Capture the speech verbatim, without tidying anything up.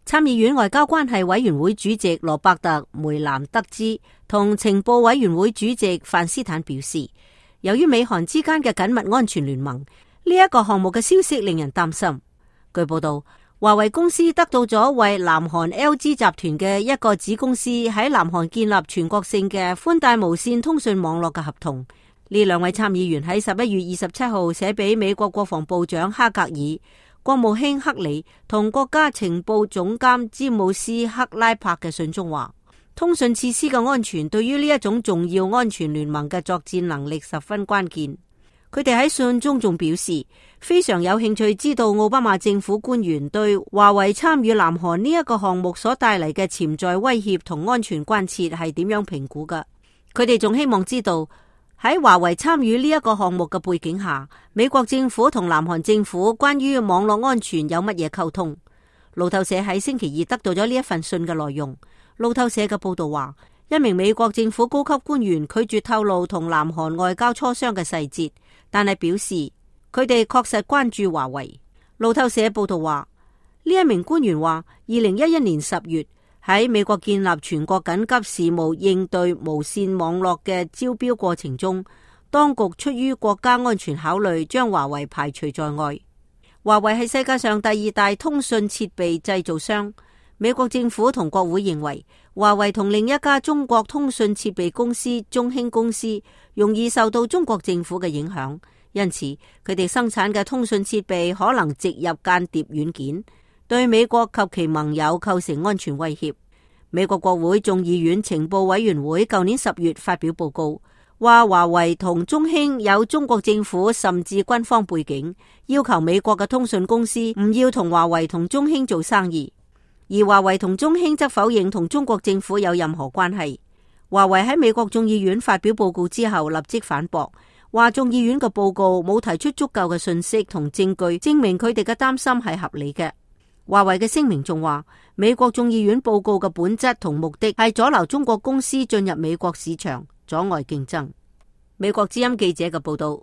參議院外交關係委員會主席羅伯特梅南德茲同情報委員會主席范斯坦表示，由於美韓之間嘅緊密安全聯盟，呢一個項目嘅消息令人擔心。據報道，華為公司得到咗為南韓 L G 集團嘅一個子公司喺南韓建立全國性嘅寬帶無線通訊網絡嘅合同。呢兩位參議員喺十一月二十七號寫俾美國國防部長哈格爾、國務卿克里同國家情報總監詹姆斯克拉柏嘅信中話，通訊設施嘅安全對於呢一種重要安全聯盟嘅作戰能力十分關鍵。佢哋喺信中仲表示，非常有興趣知道奧巴馬政府官員對華為參與南韓呢一個項目所帶嚟嘅潛在威脅同安全關切係點樣評估㗎。佢哋仲希望知道喺華為參與呢一個項目嘅背景下，美國政府同南韓政府關於網絡安全有乜嘢溝通。路透社喺星期二得到咗呢一份信嘅內容。路透社嘅報道話，一名美國政府高級官員拒絕透露同南韓外交磋商嘅細節，但係表示佢哋確實關注華為。路透社報道話，呢一名官員話，二零一一年十月喺美國建立全國緊急事務應對無線網絡嘅招標過程中，當局出於國家安全考慮，將華為排除在外。華為係世界上第二大通訊設備製造商。美國政府同國會認為，華為同另一家中國通訊設備公司中興公司容易受到中國政府嘅影響，因此佢哋生產嘅通訊設備可能植入間諜軟件，對美國及其盟友構成安全威脅。美國國會眾議院情報委員會舊年十月發表報告，話華為同中興有中國政府甚至軍方背景，要求美國嘅通訊公司唔要同華為同中興做生意。而華為同中興則否認同中國政府有任何關係。華為喺美國眾議院發表報告之後，立即反駁，話眾議院嘅報告冇提出足夠嘅信息同證據，證明佢哋嘅擔心係合理嘅。華為嘅聲明仲話，美國眾議院報告嘅本質同目的係阻撓中國公司進入美國市場，阻礙競爭。美國之音記者嘅報道。